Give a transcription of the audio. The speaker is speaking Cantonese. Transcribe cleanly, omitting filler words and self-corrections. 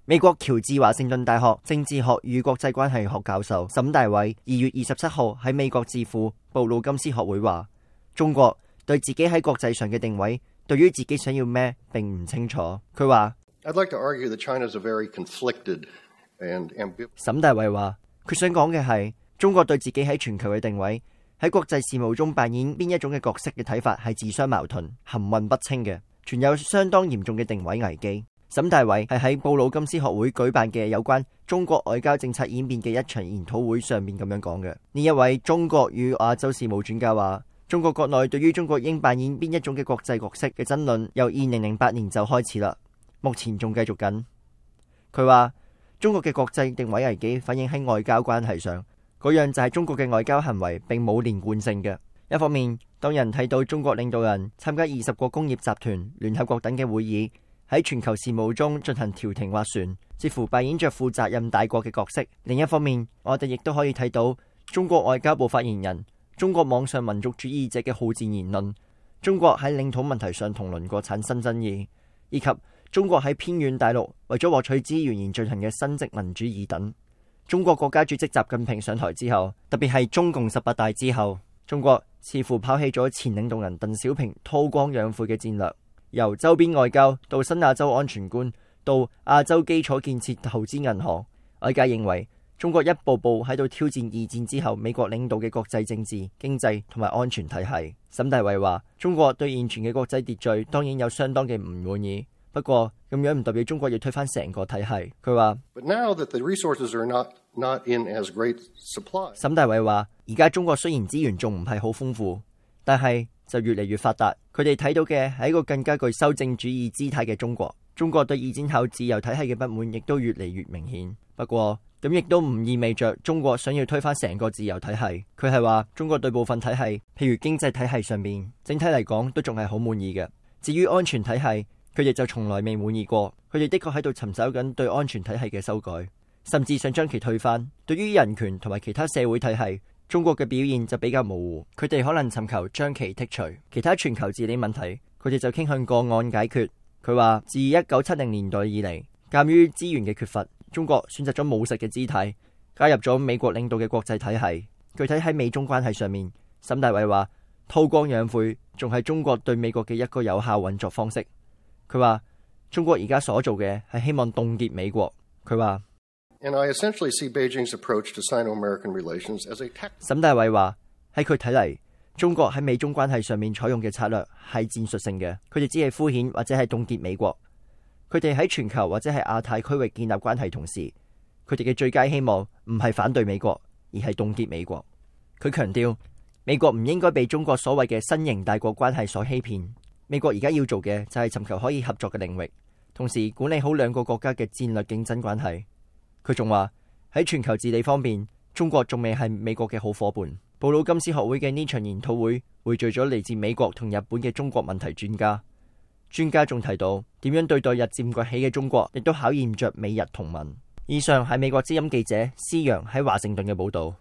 美國喬治華盛頓大學政治學與國際關係學教授沈大偉2月27號喺美國智庫布魯金斯學會話，中國對自己喺國際上嘅定位，對於自己想要咩並唔清楚。佢話沈大偉話，佢想講嘅係中國對自己喺全球嘅定位，喺國際事務中扮演邊一種嘅角色嘅睇法係自相矛盾、含混不清嘅，存有相當嚴重嘅定位危機。沈大偉係喺布魯金斯學會舉辦嘅有關中國外交政策演變嘅一場研討會上面咁樣講嘅。呢一位中國與亞洲事務專家話，中國國內對於中國應扮演邊一種嘅國際角色嘅爭論由2008年就開始啦，目前仲繼續緊。佢話中國嘅國際定位危機反映喺外交關係上，嗰樣就係中國嘅外交行為並冇連貫性嘅。一方面，當人睇到中國領導人參加20個工業集團、聯合國等嘅會議，喺全球事務中進行調停斡旋，似乎扮演着負責任大國嘅角色。另一方面，我哋亦都可以睇到中國外交部發言人、中國網上民族主義者嘅好戰言論，中國喺領土問題上同鄰國產生爭議，以及中國喺偏遠大陸為咗獲取資源而進行嘅新殖民主義等。中國國家主席習近平上台之後，特別係中共18大之後，中國似乎拋棄咗前領導人鄧小平韜光養晦嘅戰略，由周邊外交到新亞洲安全觀，到亞洲基礎建設投資銀行，外界認為中國一步步喺度挑戰2戰之後美國領導嘅國際政治、經濟同埋安全體系。沈大偉話，中國對現存嘅國際秩序當然有相當嘅唔滿意，不過咁樣唔代表中國要推翻成個體系。佢話沈大偉話，而家中國雖然資源仲唔係好豐富，但係就越嚟越發達。佢哋睇到嘅係一個更加具修正主義姿態嘅中國。中國對2戰後自由體系嘅不滿亦都越嚟越明顯。不過咁亦都唔意味着中國想要推翻成個自由體系。佢係話中國對部分體系，譬如經濟體系上面，整體嚟講都仲係好滿意嘅。至於安全體系，佢哋就從來未滿意過。佢哋的確喺度尋找緊對安全體系嘅修改，甚至想將其推翻。對於人權同埋其他社會體系，中國嘅表現就比較模糊。佢哋可能尋求將其剔除。其他全球治理問題，佢哋就傾向個案解決。佢話自1970年代以嚟，鑑於資源嘅缺乏，中國選擇咗務實嘅姿態，加入咗美國領導嘅國際體系。具體喺美中關係上面，沈大偉話韜光養晦仲係中國對美國嘅一個有效運作方式。佢話中國而家所做嘅係希望凍結美國。佢話沈大偉話喺佢睇嚟，中國喺美中關係上面採用嘅策略係戰術性嘅，佢哋只係敷衍或者係凍結美國。佢哋喺全球或者係亞太區域建立關係同時，佢哋嘅最佳希望唔係反對美國，而係凍結美國。佢強調美國唔應該被中國所謂嘅新型大國關係所欺騙。美國而家要做嘅就係尋求可以合作嘅領域，同時管理好兩個國家嘅戰略競爭關係。佢仲話喺全球治理方面，中國仲未係美國嘅好夥伴。布魯金斯學會嘅呢場研討會匯聚咗嚟自美國同日本嘅中國問題專家。專家仲提到點樣對待日漸崛起嘅中國，亦都考驗着美日同盟。以上係美國之音記者施陽喺華盛頓嘅報道。